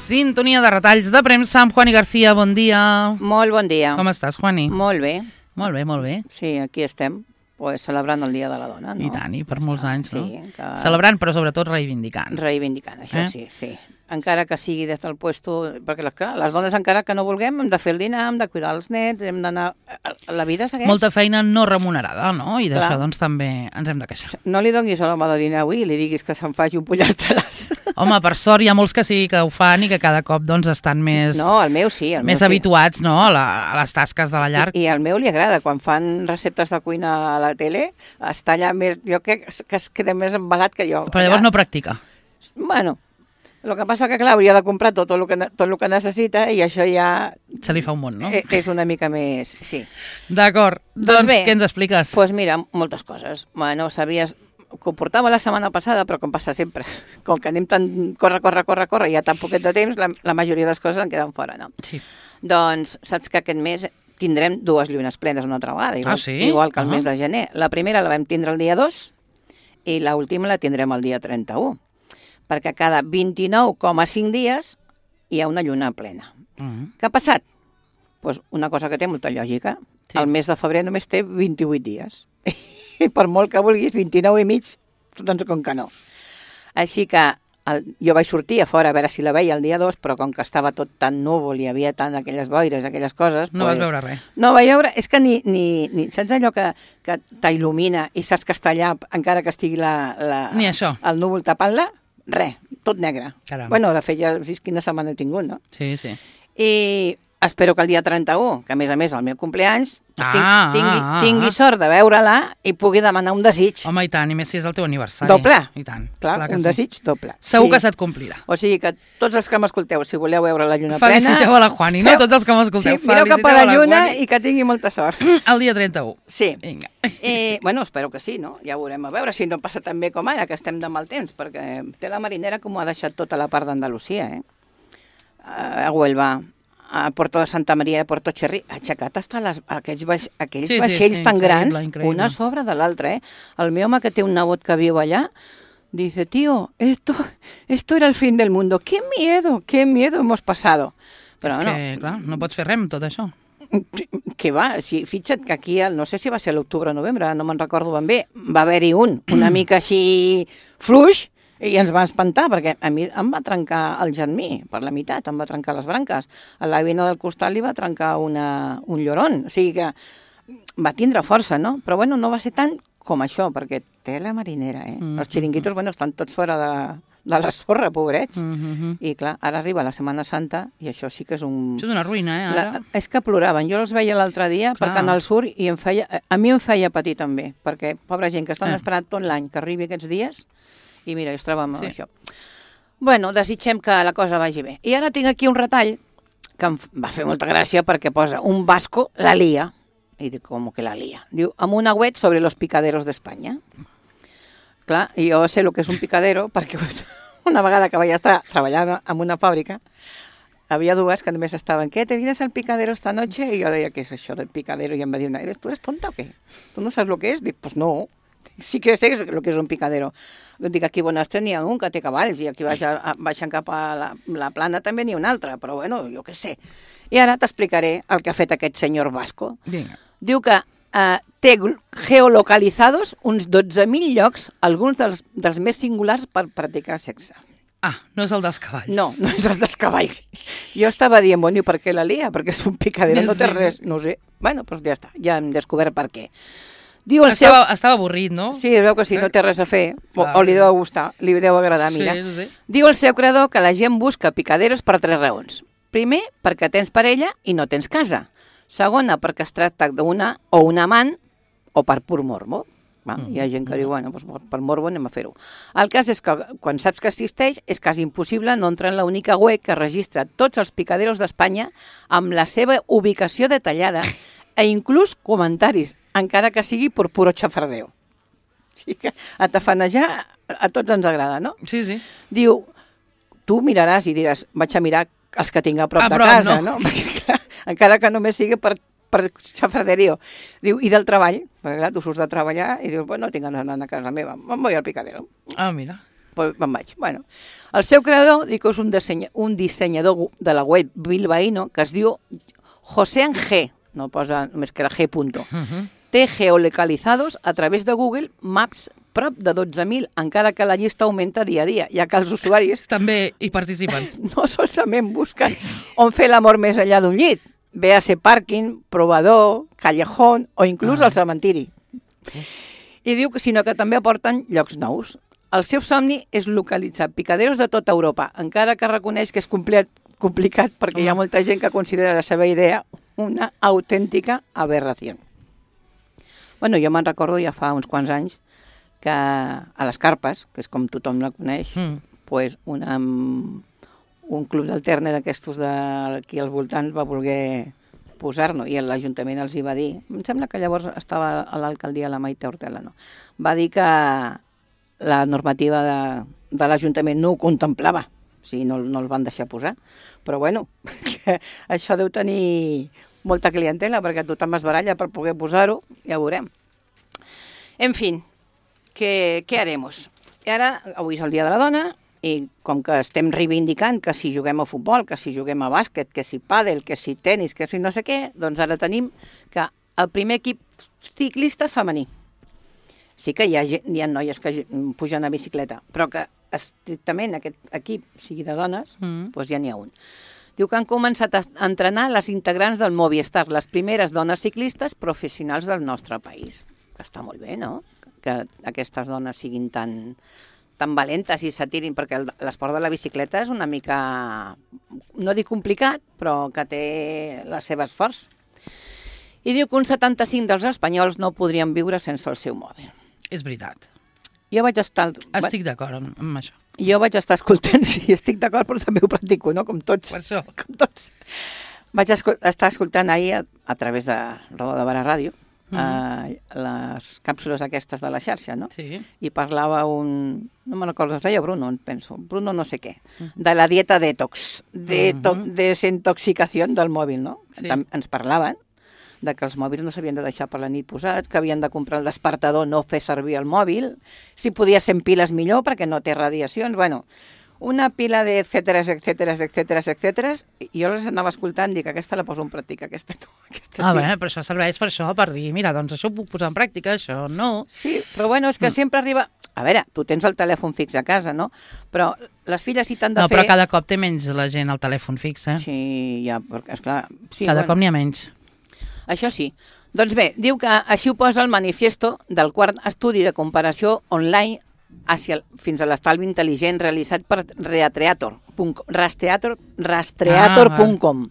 Sintonia de retalls de premsa amb Juani García. Bon dia. Molt bon dia. Com estàs, Juani? Molt bé. Molt bé, molt bé. Sí, aquí estem, pues, celebrant el Dia de la Dona, no? I tant, i per molts anys, no? Sí, que... Celebrant, però sobretot reivindicant. Reivindicant, això sí, sí. Encara que sigui des del puesto... Perquè les dones, encara que no vulguem, hem de fer el dinar, hem de cuidar els nets, hem d'anar... La vida segueix. Molta feina no remunerada, no? I d'això, doncs, també ens hem de queixar. No li donis a l'home de dinar avui i li diguis que se'n faci un pollastres. Home, per sort hi ha molts que sí que ho fan i que cada cop, doncs, estan més... No, el meu sí. Més habituats, no?, a les tasques de la llar. I al meu li agrada. Quan fan receptes de cuina a la tele, està allà més... Jo crec que es queda més embalat que jo. Però llavors no practica. Bueno... El que passa que, clar, hauria de comprar tot el que necessita i això ja... Se li fa un món, no? És una mica més... Sí. D'acord. Doncs bé, què ens expliques? Doncs mira, moltes coses. Bueno, sabies que ho portava la setmana passada, però com passa sempre, com que anem tan corre, i hi ha tan poquet de temps, la majoria de les coses en queden fora, no? Sí. Doncs saps que aquest mes tindrem 2 llunes plenes una altra vegada, igual que el mes de gener. La primera la vam tindre el dia 2 i l'última la tindrem el dia 31. Perquè cada 29,5 dies hi ha una lluna plena. Què ha passat? Pues una cosa que té molta lògica. Sí. El mes de febrer només té 28 dies. I per molt que vulguis, 29 i mig, doncs com que no. Així que jo vaig sortir a fora a veure si la veia el dia 2, però com que estava tot tan núvol i hi havia tant aquelles boires, aquelles coses... No vas veure res. No vaig veure... És que ni saps allò que t'il·lumina i saps que està allà encara que estigui ni això. El núvol tapant-la? Res, tot negre. Caram. Bueno, de fet, ja vist quina setmana he tingut, no? Sí, sí. I espero que el dia 31, que a més el meu compleanys, tingui sort de veure-la i pugui demanar un desig. Home, i tant, i més si és el teu aniversari. Doble. I tant. Clar un desig doble. Segur que se't complirà. O sigui que tots els que m'escolteu, si voleu veure la lluna plena... Feliciteu a la Juani, no? Tots els que m'escolteu. Sí, mireu cap a la lluna i que tingui molta sort. El dia 31. Sí. Vinga. Bueno, espero que sí, no? Ja ho veurem a veure si no passa tan bé com ara, que estem de mal temps, perquè té la marinera com ho ha deixat tota la part d'Andalusia, a Huelva, a Puerto de Santa Maria de Puerto Cherry, aixecat hasta aquells vaixells tan grans, increïble. Una sobre de l'altra, El meu home que té un nebot que viu allà, dice, tío, esto era el fin del mundo, qué miedo hemos pasado. Però és que, clar, no pots fer res amb tot això. Que va, fixa't que aquí, no sé si va ser l'octubre o novembre, no me'n recordo ben bé, va haver-hi una mica així fluix, i ens va espantar, perquè a mi em va trencar el germí per la meitat, em va trencar les branques. A la veïna del costat li va trencar un lloron, o sigui que va tindre força, no? Però bueno, no va ser tant com això, perquè té la marinera, Els xiringuitos, bueno, estan tots fora de la sorra, pobrets. I clar, ara arriba la Setmana Santa i això sí que és un... Això és una ruïna, ara? És que ploraven. Jo els veia l'altre dia per Canal Sur i a mi em feia patir també, perquè pobra gent que estan esperant tot l'any que arribi aquests dies i mira, jo es troba amb això. Bueno, desitgem que la cosa vagi bé. I ara tinc aquí un retall que em va fer molta gràcia perquè posa un vasco la lía. I dic, com que la lía? Diu, amb un agüet sobre los picaderos d'Espanya. Clar, i jo sé el que és un picadero perquè una vegada que vaig estar treballant en una fàbrica havia dues que només estaven, ¿qué? ¿Te vienes al picadero esta noche? I jo deia, ¿qué es això del picadero? I em va dir una, ¿tú eres tonta o qué? ¿Tú no sabes lo que es? Dic, pues no. Sí que sé el que és un picadero. Dic, aquí a Bonastre n'hi ha un que té cavalls i aquí baixant cap a la plana també n'hi ha un altre, però bueno, jo què sé. I ara t'explicaré el que ha fet aquest senyor Vasco. Vinga. Diu que té geolocalizados uns 12.000 llocs, alguns dels més singulars per practicar sexe. No és el dels cavalls. No és el dels cavalls. Jo estava dient, bueno, i per què la lia? Perquè és un picadero, no té res, no ho sé. Bueno, doncs ja està, ja hem descobert per què. Estava avorrit, no? Sí, es veu que sí, no té res a fer, o li deu gustar, li deu agradar, mira. Sí. Diu el seu creador que la gent busca picaderos per 3 raons. Primer, perquè tens parella i no tens casa. Segona, perquè es tracta d'una o un amant, o per pur morbo. Hi ha gent que diu, bueno, doncs per morbo anem a fer-ho. El cas és que quan saps que existeix és quasi impossible no entrar en l'única web que registra tots els picaderos d'Espanya amb la seva ubicació detallada e inclús comentaris, encara que sigui per puro xafardeo. O sigui que atafanejar a tots ens agrada, no? Sí. Diu, tu miraràs i diràs, vaig a mirar els que tinc a prop de casa, no? Perquè, clar, encara que només sigui per xafarderio. Diu, i del treball? Perquè clar, tu surts de treballar i dius, bueno, tinc ganes d'anar a casa meva, me'n voy al picadero. Mira. me'n vaig. Bueno, el seu creador, dic que és un dissenyador de la web bilbaíno que es diu José G, no posa només que era G. Té geolocalizados a través de Google Maps prop de 12.000, encara que la llista augmenta dia a dia, ja que els usuaris també hi participen. no solament busquen on fer l'amor més enllà d'un llit, ve a ser pàrquing, provador, callejón o inclús el cementiri. I diu que sinó que també aporten llocs nous. El seu somni és localitzar picaderos de tota Europa, encara que reconeix que és complicat perquè hi ha molta gent que considera la seva idea una autèntica aberració. Bueno, jo me'n recordo ja fa uns quants anys que a les Carpes, que és com tothom la coneix, pues un club d'alterne d'aquestos d'aquí als voltants va voler posar-nos i l'Ajuntament els hi va dir, em sembla que llavors estava a l'alcaldia la Maite Hortela, no? Va dir que la normativa de l'Ajuntament no ho contemplava, o sigui, no el van deixar posar, però bueno, que això deu tenir molta clientela perquè tothom es baralla per poder posar-ho, ja ho veurem. En fi, ¿qué haremos? I ara, avui és el Dia de la Dona, i com que estem reivindicant que si juguem a futbol, que si juguem a bàsquet, que si pàdel, que si tenis, que si no sé què, doncs ara tenim que el primer equip ciclista femení. Sí que hi ha noies que pugen a bicicleta, però que estrictament aquest equip sigui de dones, doncs ja n'hi ha un. Diu que han començat a entrenar les integrants del Movistar, les primeres dones ciclistes professionals del nostre país. Que està molt bé, no?, que aquestes dones siguin tan valentes i s'atirin, perquè l'esport de la bicicleta és una mica, no dic complicat, però que té les seves forts. I diu que un 75 dels espanyols no podrien viure sense el seu mòbil. És veritat. Jo vaig estar... Estic d'acord amb això. Jo vaig estar escoltant, sí, estic d'acord, però també ho practico, no?, com tots. Per això. Com tots. Vaig estar escoltant ahir a través de Roda de Barà Ràdio, les càpsules aquestes de la xarxa, no? Sí. I parlava no me'n recordo, es deia Bruno, penso, Bruno no sé què, de la dieta detox, desintoxicació del mòbil, no? Sí. Ens parlaven de que els mòbils no s'havien de deixar per la nit posats, que havien de comprar el despertador, no fer servir el mòbil, si podia ser en piles millor perquè no té radiacions, bueno, una pila de etcèteres, i jo les anava escoltant i dic, aquesta la poso en pràctica, aquesta no, aquesta sí. Bé, però això serveix per això, per dir, mira, doncs això ho puc posar en pràctica, això no. Sí, però bueno, és que sempre arriba... A veure, tu tens el telèfon fix a casa, no? Però les filles sí t'han de fer... No, però cada cop té menys la gent el telèfon fix, eh? Sí, ja, perquè, esclar... Sí, cada cop n'hi ha menys. Això sí. Doncs bé, diu que així ho posa el manifiesto del quart estudi de comparació online fins a l'estalvi intel·ligent realitzat per rastreator.com.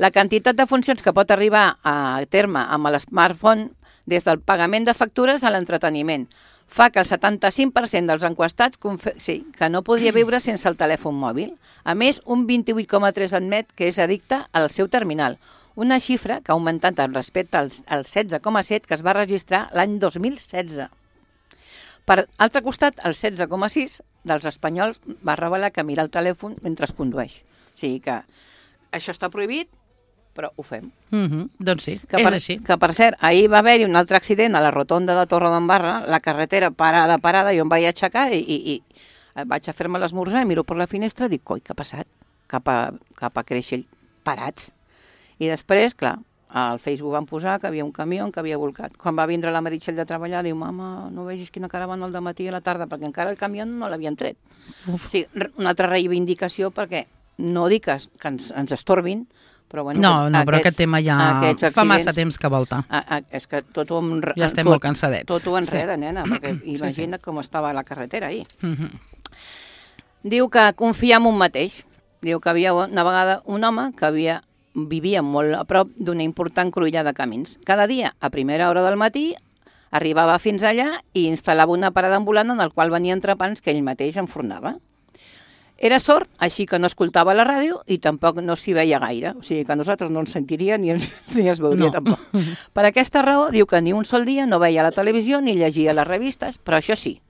La quantitat de funcions que pot arribar a terme amb l'smartphone, des del pagament de factures a l'entreteniment, fa que el 75% dels enquestats que no podria viure sense el telèfon mòbil. A més, un 28,3% admet que és addicte al seu terminal, una xifra que ha augmentat respecte al 16,7% que es va registrar l'any 2016. Per altre costat, el 16,6% dels espanyols va revelar que mira el telèfon mentre es condueix. O sigui que això està prohibit, però ho fem. Doncs sí, és així. Que, per cert, ahir va haver-hi un altre accident a la rotonda de Torredembarra, la carretera parada, jo em vaig aixecar i vaig a fer-me l'esmorzar i miro per la finestra i dic, coi, què ha passat? Cap a Creixell, parats. I després, clar, al Facebook van posar que havia un camió que havia volcat. Quan va vindre la Meritxell de treballar, diu, mama, no vegis quina caravana al dematí i a la tarda, perquè encara el camió no l'havien tret. O sigui, una altra reivindicació perquè no dic que ens estorbin, però bueno... No, però aquest tema ja fa massa temps que volta. És que tot ho... Ja estem molt cansadets. Tot ho enreda, nena, perquè imagina com estava la carretera ahir. Diu que confia en un mateix. Diu que havia una vegada un home que vivia molt a prop d'una important cruïlla de camins. Cada dia, a primera hora del matí, arribava fins allà i instal·lava una parada ambulant en el qual venien entrepans que ell mateix enfornava. Era sord, així que no escoltava la ràdio i tampoc no s'hi veia gaire. O sigui que nosaltres no ens sentiria ni es veuria tampoc. Per aquesta raó, diu que ni un sol dia no veia la televisió ni llegia les revistes, però això sí,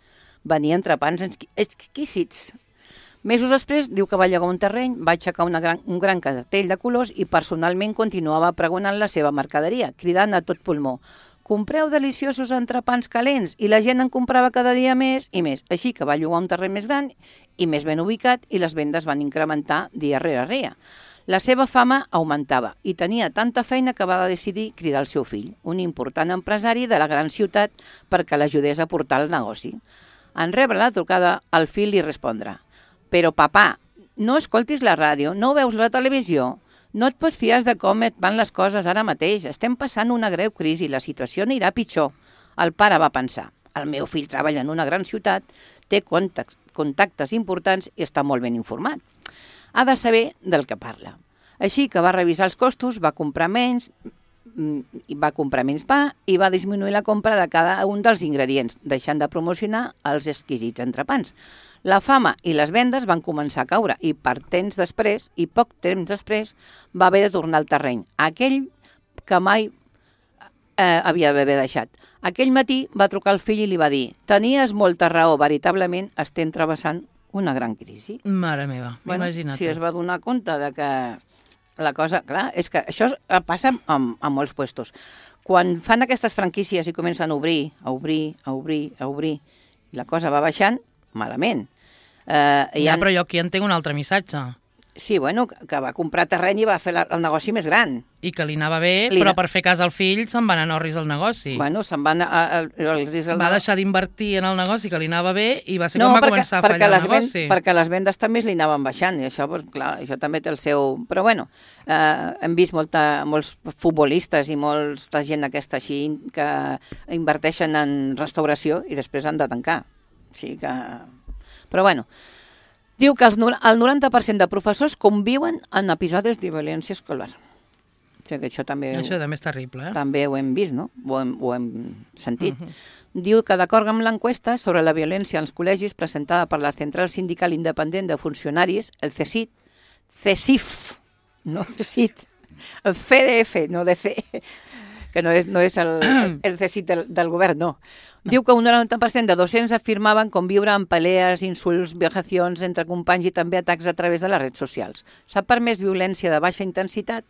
venien entrepans exquisits. Mesos després, diu que va llegar un terreny, va aixecar un gran cartell de colors i personalment continuava pregonant la seva mercaderia, cridant a tot pulmó. compreu deliciosos entrepans calents, i la gent en comprava cada dia més i més. Així que va llogar un terreny més gran i més ben ubicat i les vendes van incrementar dia rere dia. La seva fama augmentava i tenia tanta feina que va decidir cridar el seu fill, un important empresari de la gran ciutat, perquè l'ajudés a portar el negoci. En rebre la trucada, el fill li respondrà: «Però, papà, no escoltis la ràdio, no veus la televisió? No et pots fiar de com et van les coses ara mateix. Estem passant una greu crisi, la situació anirà pitjor». El pare va pensar: «El meu fill treballa en una gran ciutat, té contactes importants i està molt ben informat. Ha de saber del que parla». Així que va revisar els costos, va comprar menys pa i va disminuir la compra de cada un dels ingredients, deixant de promocionar els exquisits entrepans. La fama i les vendes van començar a caure i poc temps després va haver de tornar al terreny, aquell que mai havia d'haver deixat. Aquell matí va trucar el fill i li va dir: «Tenies molta raó, veritablement estem travessant una gran crisi». Mare meva, imagina't. Si es va donar compte de que la cosa... Clar, és que això passa en molts puestos. Quan fan aquestes franquícies i comencen a obrir, i la cosa va baixant, malament. Però jo aquí entenc un altre missatge. Sí, bueno, que va comprar terreny i va fer el negoci més gran. I que li anava bé, però per fer cas al fill se'n van anar orris al negoci. Bueno, se'n van... Va deixar d'invertir en el negoci, que li anava bé, i va ser quan va començar a fallar el negoci. Perquè les vendes també li anaven baixant, i això, clar, això també té el seu... Però bueno, hem vist molts futbolistes i molta gent aquesta així que inverteixen en restauració i després han de tancar. Així que... Però bueno... Diu que el 90% de professors conviuen en episodis de violència escolar. O sigui que això també és terrible, També ho hem vist, no? Ho hem sentit. Diu que d'acord amb l'enquesta sobre la violència als col·legis presentada per la Central Sindical Independent de Funcionaris, el CESIF, no CESIT, el CDF, no DC, que no és el CESIT del govern, no. Diu que un 90% de docents afirmaven conviure amb pelees, insults, vejacions entre companys i també atacs a través de les redes socials. S'ha permès violència de baixa intensitat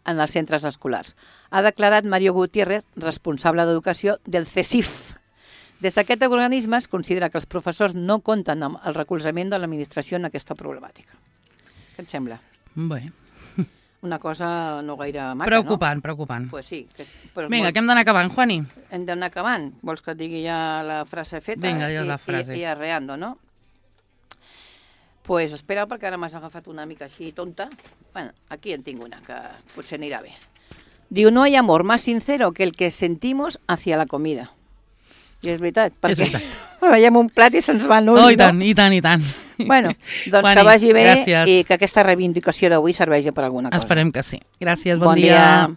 en els centres escolars. Ha declarat Mario Gutiérrez, responsable d'educació del CESIF. Des d'aquest organisme es considera que els professors no compten amb el recolzament de l'administració en aquesta problemàtica. Què et sembla? Bé. Una cosa no gaire maca, preocupant, no? Preocupant. Pues sí. Vinga, que hem d'anar acabant, Juani. Hem d'anar acabant. Vols que et digui ja la frase feta? Vinga, digues la frase. I arreando, no? Pues espera, perquè ara m'has agafat una mica així tonta. Bueno, aquí en tinc una, que potser anirà bé. Diu, no hay amor más sincero que el que sentimos hacia la comida. I és veritat, perquè veiem un plat i se'ns va l'ull, no? I tant. Bueno, doncs que vagi bé i que aquesta reivindicació d'avui serveixi per alguna cosa. Esperem que sí. Gràcies, bon dia.